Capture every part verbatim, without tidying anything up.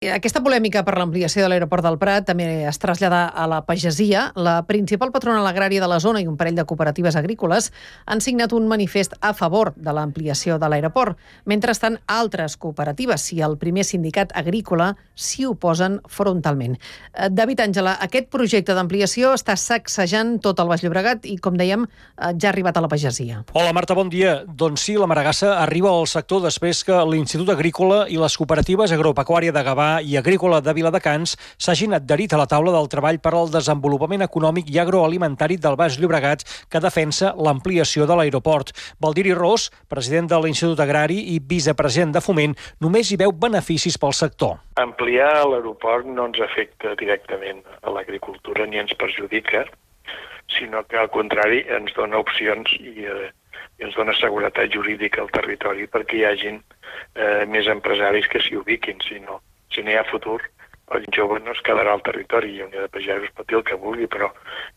Aquesta polèmica per l'ampliació de l'aeroport del Prat també es trasllada a la pagesia. La principal patronal agrària de la zona i un parell de cooperatives agrícoles han signat un manifest a favor de l'ampliació de l'aeroport. Mentrestant, altres cooperatives i el primer sindicat agrícola s'hi oposen frontalment. David Àngela, aquest projecte d'ampliació està sacsejant tot el Baix Llobregat i, com dèiem, ja ha arribat a la pagesia. Hola, Marta, bon dia. Doncs sí, la Maragassa arriba al sector després que l'Institut Agrícola i les cooperatives agropecuària de Gavà i Agrícola de Viladecans s'hagin adherit a la taula del treball per al desenvolupament econòmic i agroalimentari del Baix Llobregat que defensa l'ampliació de l'aeroport. Valdiri Ros, president de l'Institut Agrari i vicepresident de Foment, només hi veu beneficis pel sector. Ampliar l'aeroport no ens afecta directament a l'agricultura ni ens perjudica, sinó que al contrari ens dona opcions i, eh, i ens dona seguretat jurídica al territori perquè hi hagin eh, més empresaris que s'hi ubiquin, si no Si no hi ha futur, el jove no es quedarà al territori i Unió de Pagesos pot dir el que vulgui, però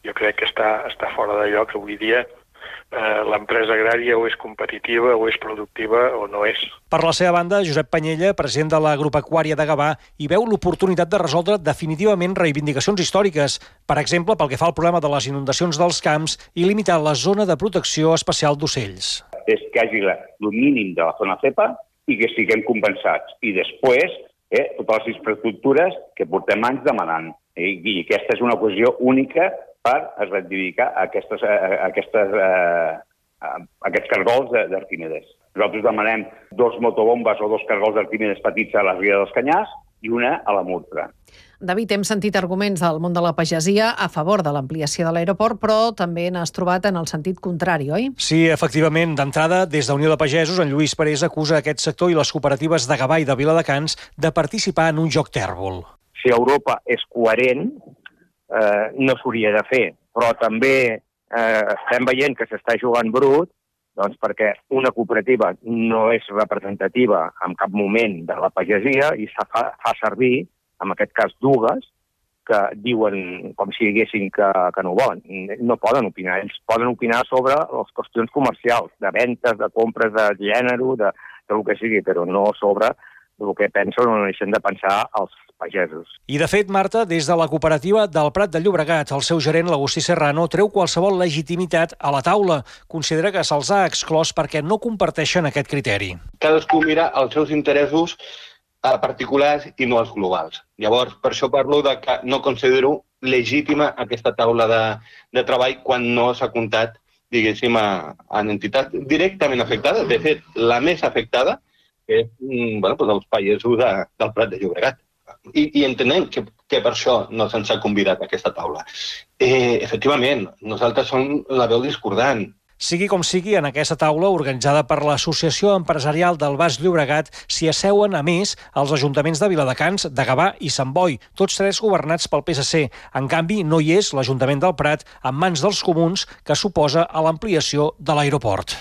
jo crec que està, està fora de lloc. Avui dia eh, l'empresa agrària o és competitiva o és productiva o no és. Per la seva banda, Josep Panyella, president de l'Agropecuària de Gavà, hi veu l'oportunitat de resoldre definitivament reivindicacions històriques, per exemple, pel que fa al problema de les inundacions dels camps i limitar la zona de protecció especial d'ocells. És que hi hagi el mínim de la zona cepa i que estiguem compensats. I després, Eh, totes les infraestructures que portem anys demanant. Eh? I aquesta és una ocasió única per reivindicar aquestes, eh, aquestes, eh, aquests cargols d'Arquimedes. Nosaltres demanem dos motobombes o dos cargols d'Arquimedes petits a la Ria dels Canyars i una a la Murtra. David, hem sentit arguments del món de la pagesia a favor de l'ampliació de l'aeroport, però també n'has trobat en el sentit contrari, oi? Sí, efectivament. D'entrada, des de Unió de Pagesos, en Lluís Parés acusa aquest sector i les cooperatives de Gavà i de Viladecans de participar en un joc tèrbol. Si Europa és coherent, eh, no s'hauria de fer, però també eh, estem veient que s'està jugant brut, doncs perquè una cooperativa no és representativa en cap moment de la pagesia i se fa, fa servir, en aquest cas dues, que diuen com si diguessin que, que no ho volen. No poden opinar. Ells poden opinar sobre les qüestions comercials, de ventes, de compres de gènere, de, de el que sigui, però no sobre el que pensen o no deixen de pensar els pagesos. I, de fet, Marta, des de la cooperativa del Prat de Llobregat, el seu gerent, l'Agustí Serrano, treu qualsevol legitimitat a la taula. Considera que se'ls ha exclòs perquè no comparteixen aquest criteri. Cadascú mira els seus interessos a particulars i no als globals. Llavors, per això parlo de que no considero legítima aquesta taula de, de treball quan no s'ha comptat, diguéssim, a, a entitats directament afectades. De fet, la més afectada és bueno, doncs els pagesos de, del Prat de Llobregat. I, i entenem que, que per això no se'ns ha convidat a aquesta taula. Eh, efectivament, nosaltres som la veu discordant. Sigui com sigui, en aquesta taula, organitzada per l'Associació Empresarial del Baix Llobregat, s'hi asseuen, a més, els ajuntaments de Viladecans, de Gavà i Sant Boi, tots tres governats pel P S C. En canvi, no hi és l'Ajuntament del Prat, en mans dels comuns, que s'oposa a l'ampliació de l'aeroport.